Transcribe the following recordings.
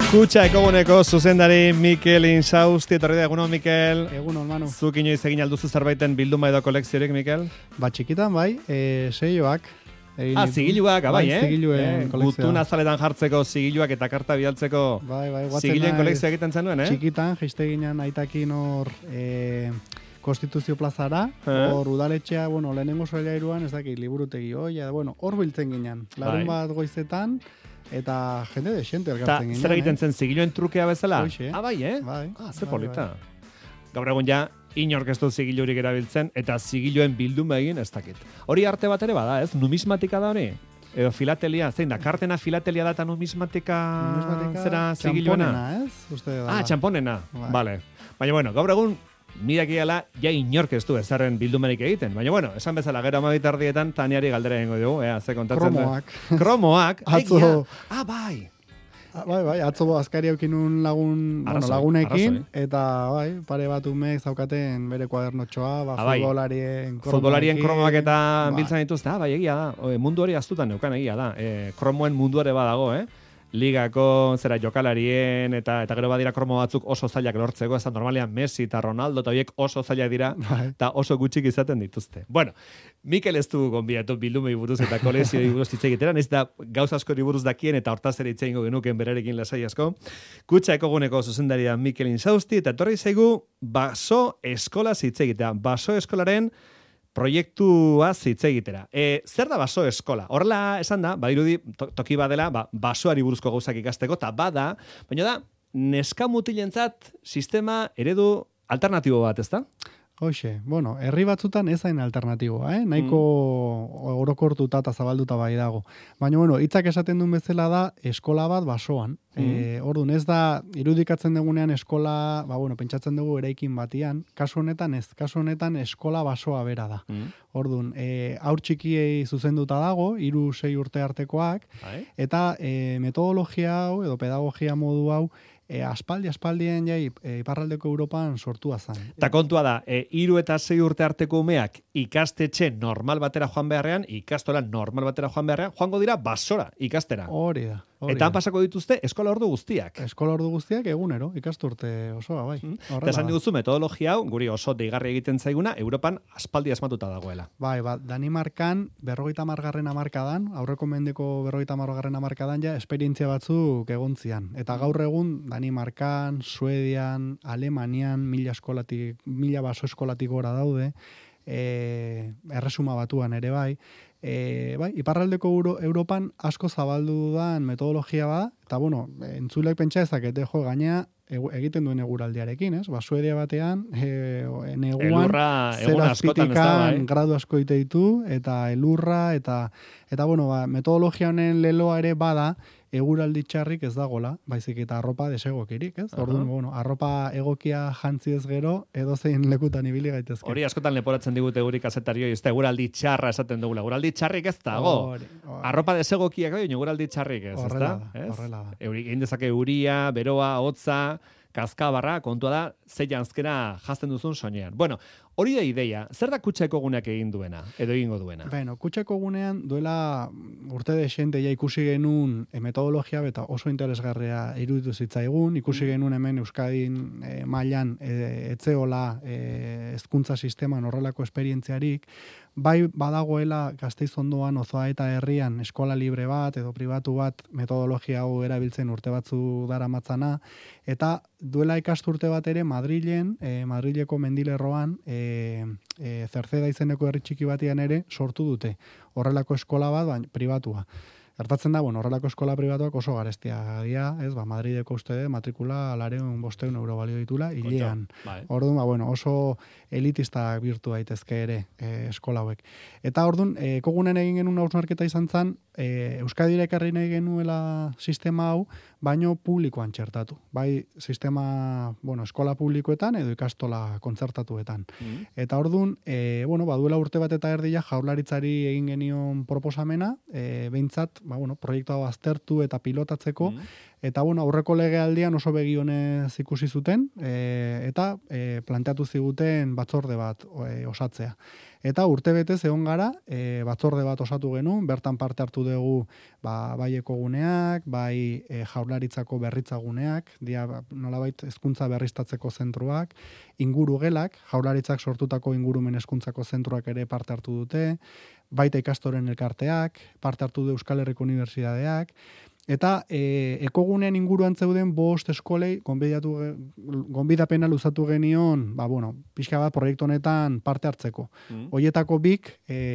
Kutxa ekoguneko zuzendari Mikel Insausti, etorri da egunon, Mikel. Egunon, Manu. Zuk inoiz egin alduzu zerbaiten bilduma edo kolekziorik, Mikel? Txikitan bai, seioak. Zigiluak, bai, zigiluen kolekzioa. Gutun azaletan jartzeko zigiluak eta karta bidaltzeko zigiluen kolekzioa egiten zenuen, Txikitan, jaiste ginen aitakin hor Konstituzio plazara, hor udaletxea, lehenengo solairuan, ez dakit, liburutegi hor biltzen ginen. Larun bat goizetan, eta jende de xente elkartzen ginen. Zer egiten zen zigiluen trukea bezala? Hoxe. Bai, Bai. Ze polita. Gaur egun ja, inork ez du zigilurik erabiltzen, eta zigiluen bilduma egin ez dakit. Hori arte bat ere bada, ez? Numismatika da hori? Edo filatelia, zein da, kartena filatelia da eta numismatika zera zigiluena? Txamponena, ez? Uste da. Txamponena, bale. Baina, gaur egun, midakiala, ja inork ez du ezarren bildumerik egiten. Baina, esan bezala, gero amabitardietan, Taniari galdera egingo dugu, ze kontatzen Kromoak. Kromoak. Atzo. Bai. Bai, atzo azkari aukinun lagunekin, eta pare bat umek zaukaten bere kuadernotxoa, futbolarien kromoak eta biltzen dituzte, bai, egia da. Mundu hori aztutan neukan, egia da. Kromoen mundu ere badago, ligako jokalarien eta gero badira kromo batzuk oso zailak lortzeko, ez da normalean Messi eta Ronaldo eta horiek oso zailak dira eta oso gutxik izaten dituzte. Bueno, Mikel ez du gonbidatu bildumei buruz eta kolekzioi buruz hitz egiteran, ez da gauza askori buruz dakien eta hortaz ere hitz egingo genuken berarekin lasai asko. Kutxa ekoguneko zuzendaria Mikel Insausti eta etorri zaigu Baso eskolaz hitz egitea. Baso eskolaren proiektua hitz egitera. Zer da Baso eskola? Horrela esan da, badirudi toki badela, basoari buruzko gauzak ikasteko, eta bada, baina da, neska mutilentzat sistema eredu alternatibo bat, ez da? Hoxe, herri batzutan ez hain alternatiboa, nahiko orokortuta eta zabalduta bai dago. Baina, hitzak esaten duen bezala da eskola bat basoan. Orduan, ez da, irudikatzen dugunean eskola, pentsatzen dugu eraikin batian, kasu honetan eskola basoa bera da. Orduan, haur txikiei zuzenduta dago, 3-6 urte artekoak, eta metodologia hau, edo pedagogia modu hau, aspaldien iparraldeko Europan sortua zen. Ta kontua da, 3 eta 6 urte arteko umeak ikastetxe normal batera joan beharrean, ikastola normal batera joan beharrean, joango dira basora ikastera. Hori da. Eta han pasako dituzte eskola ordu guztiak. Eskola ordu guztiak egunero, ikasturte osoa, bai. Eta esan diguzu metodologia hau, guri oso deigarri egiten zaiguna, Europan aspaldi asmatuta dagoela. Bai, Danimarkan 50. hamarkadan, aurreko mendeko 50. hamarkadan ja esperientzia batzuk egontzian. Eta gaur egun Danimarkan, Suedian, Alemanian, 1000 baso eskolatik gora daude, erresuma batuan ere bai, iparraldeko Europan asko zabaldu dan metodologia bada, eta entzulek pentsa ezakete gainea egiten duen eguraldiarekin, ez? Suedia batean, neguan, 0 azpitikan gradu asko ditu, eta elurra, eta metodologia honen leloa ere bada, eguraldi txarrik ez dagola, baizik eta arropa desegokirik, ez? Orduan, arropa egokia jantzi ez gero, edozein lekutan ibili gaitezke. Hori askotan leporatzen digute guri kazetarioi, ez da eguraldi txarra esaten dugula. Eguraldi txarrik ez dago. Arropa desegokiak da, eguraldi txarrik ez, ez da? Horrela da. Egin dezake euria, beroa, hotza, kazkabarra, kontua da, ze janzkera jazten duzun soinean. Hori da ideia, zer da Kutxa ekoguneak egin duena, edo egingo duena? Kutxa ekogunean duela urte desente ja ikusi genuen metodologia eta oso interesgarria iruditu zitzaigun, ikusi genuen hemen Euskadin mailan etzeola hezkuntza sisteman horrelako esperientziarik, bai badagoela Gasteiz ondoan Ozoa eta herrian eskola libre bat edo pribatu bat metodologia hau erabiltzen urte batzu daramatzana, eta duela ikasturte bat ere Madrileko mendilerroan Zerceda izeneko herri txiki batian ere sortu dute. Horrelako eskola bat, pribatua. Gertatzen da, horrelako eskola pribatuak oso garestia dira, ez, Madrideko uste matrikula 200-500 euro balio ditula, hilean. Orduan, oso elitista birtu daitezke ere eskola hauek. Eta orduan, kogunen egin genuen hausnarketa izan zen, Euskadira ekarri nahi genuela sistema hau, baino publikoan txertatu. Bai, sistema, eskola publikoetan edo ikastola kontzertatuetan. Eta orduan, baduela urte bat eta erdia Jaurlaritzari egin genion proposamena, behintzat, proiektu hau aztertu eta pilotatzeko, eta aurreko legealdian oso begionez ikusi zuten, eta planteatu ziguten batzorde bat osatzea. Eta urtebetez egon gara, batzorde bat osatu genuen, bertan parte hartu dugu bai ekoguneak, bai jaurlaritzako berritzaguneak, nolabait hezkuntza berriztatzeko zentruak, ingurugelak, jaurlaritzak sortutako ingurumen hezkuntzako zentruak ere parte hartu dute, baita ikastoren elkarteak, parte hartu du Euskal Herriko Unibertsitateak, eta ekogunean inguruan zeuden 5 eskolei gonbidapena luzatu genion, pixka bat proiektu honetan parte hartzeko. Hoietako 2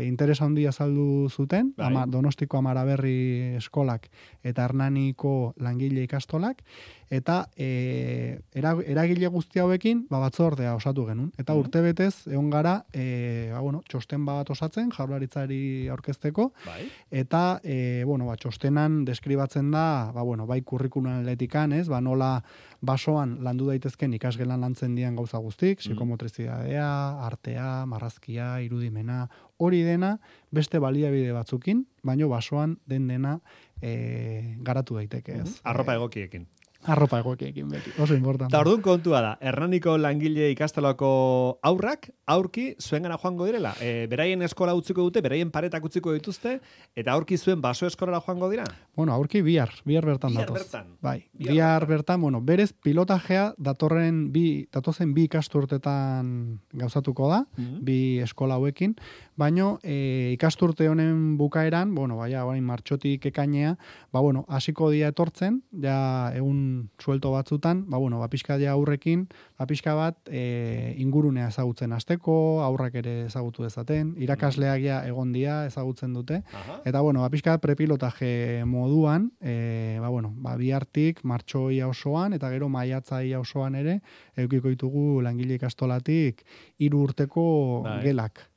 interesa handia azaldu zuten, Donostiko Amaraberri eskolak eta Hernaniko langile ikastolak, eta eragile guzti hauekin batzordea osatu genuen. Eta urtebetez egon gara txosten bat osatzen jaurlaritzari aurkezteko, eta txostenan deskribatzen da, bai kurrikulumetikan, nola basoan landu daitezken ikasgelan lantzen dian gauza guztik, psikomotrizidadea, artea, marrazkia, irudimena, hori dena beste baliabide batzukin, baino basoan dena garatu daiteke, ez? Arropa egokiekin. Arropa egokiekin beti, oso importante. Ta orduan kontua da, Hernaniko langile ikastolako aurrak, aurki zuengana joango direla. Beraien eskola utziko dute, beraien paretak utziko dituzte, eta aurki zuen baso eskolara joango dira? Aurki bihar bertan datoz. Bai, bihar bertan, berez pilotajea datozen 2 ikasturtetan gauzatuko da, 2 eskola hauekin, baino ikasturte honen bukaeran, orain martxotik ekainea, hasiko dia etortzen, ja egun suelto batzutan, pixka ja aurrekin, pixka bat ingurunea ezagutzen hasteko, aurrak ere ezagutu dezaten, irakasleak ja egon dia ezagutzen dute, eta pixka prepilotaje moduan, bihartik martxoia osoan, eta gero maiatzaia osoan ere, eukiko ditugu langile ikastolatik 3 urteko gelak.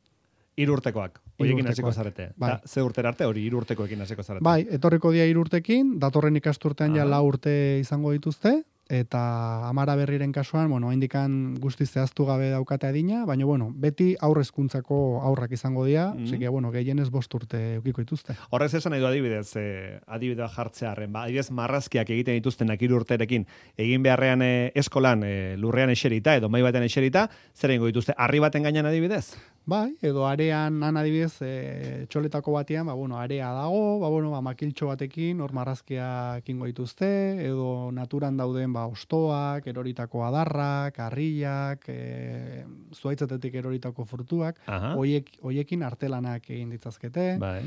3 urtekoak. Horiekin hasiko zarete. Ze urtera arte hori 3 urtekoekin hasiko zarete. Bai, etorriko dia 3 urtekin, datorren ikasturtean ja 4 urte izango dituzte, eta Amaraberriren kasuan, indikan guztiz zehaztu gabe daukate adina, baina, beti aurrezkuntzako aurrak izango dira, zike, gehienez 5 urte eukiko dituzte. Horrez esan nahi du adibidea jartzearen, adibidez marrazkiak egiten dituztenak 3 urterekin, egin beharrean eskolan lurrean eserita, edo mai baten eserita, zer egingo dituzte, harri baten gainean adibidez? Bai, edo arean adibidez txoletako batean, area dago, makiltxo batekin, hor marrazkiak ingo dituzte, edo naturan dauden ostoak, eroritako adarrak, harriak, zuaitzetetik eroritako frutuak, hoiekin artelanak egin ditzazkete. Bai.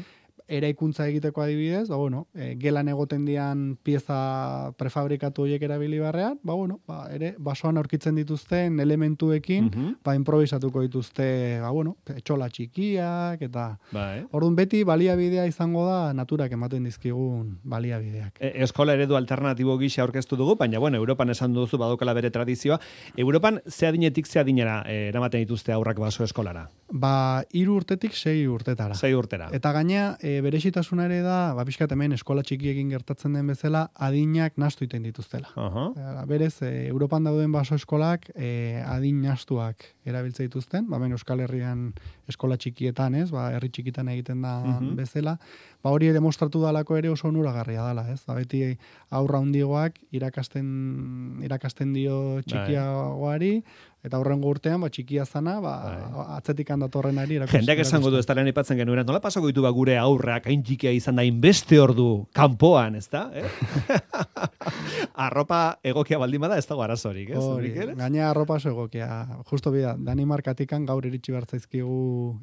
Eraikuntza egiteko adibidez, gelan egoten dian pieza prefabrikatu horiek erabili barrean, ere basoan aurkitzen dituzten elementuekin, improvisatuko dituzte, etxola txikiak, eta orduan beti baliabidea izango da naturak ematen dizkigun baliabideak. Eskola eredu alternatibo gisa aurkeztu dugu, baina, Europan esan duzu badokala bere tradizioa. Europan ze adinetik ze adinera eramaten dituzte aurrak baso eskolara? 3 urtetik 6 urtetara. 6 urtera. Eta gaina, berezitasuna ere da, pixkat hemen eskola txikiekin gertatzen den bezala, adinak nastu iten dituztela. Berez, Europan dauden baso eskolak adin nastuak erabiltze dituzten, Euskal Herrian eskola txikietan, herri txikitan egiten da bezala, hori demostratu dalako ere oso onuragarria dela, beti aurra hundigoak irakasten dio txikiagoari, eta horrengo urtean, txikia zana, atzetik handatorrenari irakusten. Jendeak esango du, ez daren ipatzen genuen, nola pasako ditu gure aurrak, hain txikia izan da, inbeste ordu, kanpoan, ez da? Arropa egokia baldin bada, ez dago arazorik, ez? Gaina arropa oso egokia. Justo bida, Danimarkatikan gaur iritsi bertzaizkigu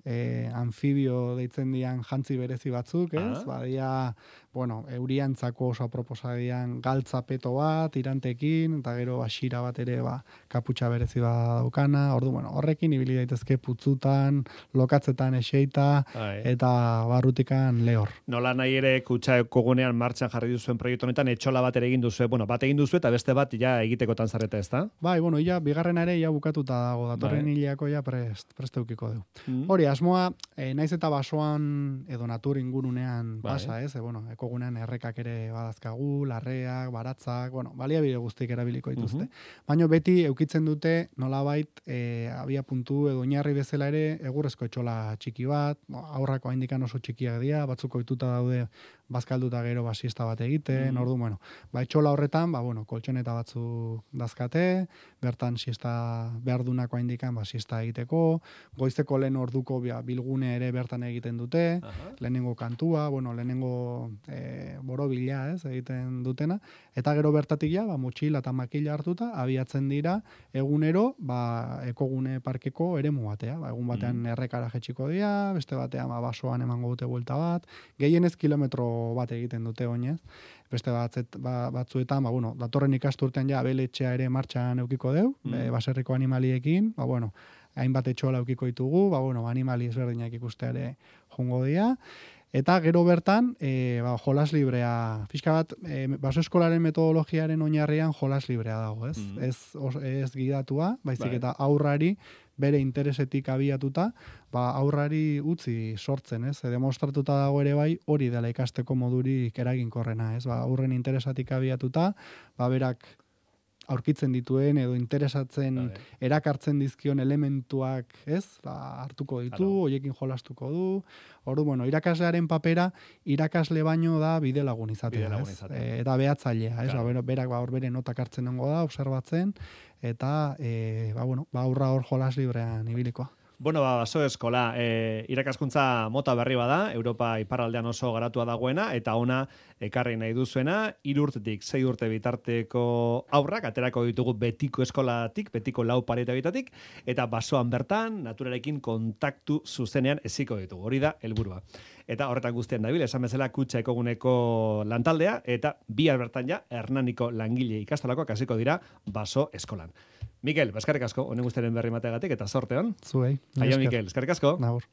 anfibio deitzen dian jantzi berezi batzuk, ez? Badia, euriantzako oso aproposadian galtzapeto bat, irantekin, eta gero asira bat ere kaputxa berezi bat daukana, horrekin ibili daitezke putzutan, lokatzetan eseita, eta barrutikan lehor. Nola nahi ere kutxa kogunean martxan jarri duzuen proiektu honetan, etxola bat ere egin duzu, bat egin duzu eta beste bat ja egitekotan zarete, ez da? Bai, bigarren ere ja bukatuta dago, datorren hileako ja prest eukiko du. Hori, asmoa, naiz eta basoan edo natur ingurunean basa, ez? ekogunean errekak ere badazkagu, larreak, baratzak, bueno, baliabide guztik erabiliko dituzte. Baina beti eukitzen dute nolabait abia puntu edo oinarri bezala ere egurrezko etxola txiki bat, aurrako haindikan oso txikiak dira, batzuk ohituta daude bazkalduta gero siesta bat egiten, ordu, bueno, etxola horretan, koltxoneta batzu dazkate, bertan siesta behar dunako haindikan siesta egiteko, goizeko lehen orduko bilgune ere bertan egiten dute, lehenengo kantua, lehenengo borobila egiten dutena, eta gero bertatik motxila eta makila hartuta, abiatzen dira egunero ekogune parkeko eremu batea. Egun batean errekara jetxiko dira, beste batean basoan emango dute buelta bat, gehienez kilometro bat egiten dute oinez, beste batzuetan, datorren ikasturtean abeletxea ere martxan eukiko deu, baserriko animaliekin, hainbat etxola eukiko ditugu, animali ezberdinak ikusteare jongo dira, eta gero bertan, jolas librea, pixka bat, baso eskolaren metodologiaren oinarrian jolas librea dago, ez? Ez gidatua, baizik eta aurrari, bere interesetik abiatuta, aurrari utzi sortzen, ez? Demostratuta dago ere bai, hori dela ikasteko modurik eraginkorrena, ez? Aurren interesatik abiatuta, berak aurkitzen dituen edo interesatzen erakartzen dizkion elementuak, ez? Hartuko ditu, hoiekin jolastuko du. Ordu, irakaslearen papera irakasle baino da bide lagun izatea, ez? Eta behatzailea, ez? Berak hor bere notak hartzen nengo da, observatzen, eta aurra hor jolas librean ibiliko. Baso eskola, irakaskuntza mota berri bada, Europa iparraldean oso garatua dagoena, eta ona ekarri nahi duzuena, 3 urtetik 6 urte bitarteko aurrak, aterako ditugu betiko eskolatik, betiko lau paretabitatik, eta basoan bertan, naturarekin kontaktu zuzenean eziko ditugu. Hori da, helburua. Eta horretan guztien dabil, esan bezala kutxa ekoguneko lantaldea, eta bihar bertan Hernaniko langile ikastolakoak hasiko dira baso eskolan. Mikel, eskerrik asko, honen guztiaren berri mategatik, eta sorteon. Zuei. Aio, Mikel, eskerrik asko. Nahor.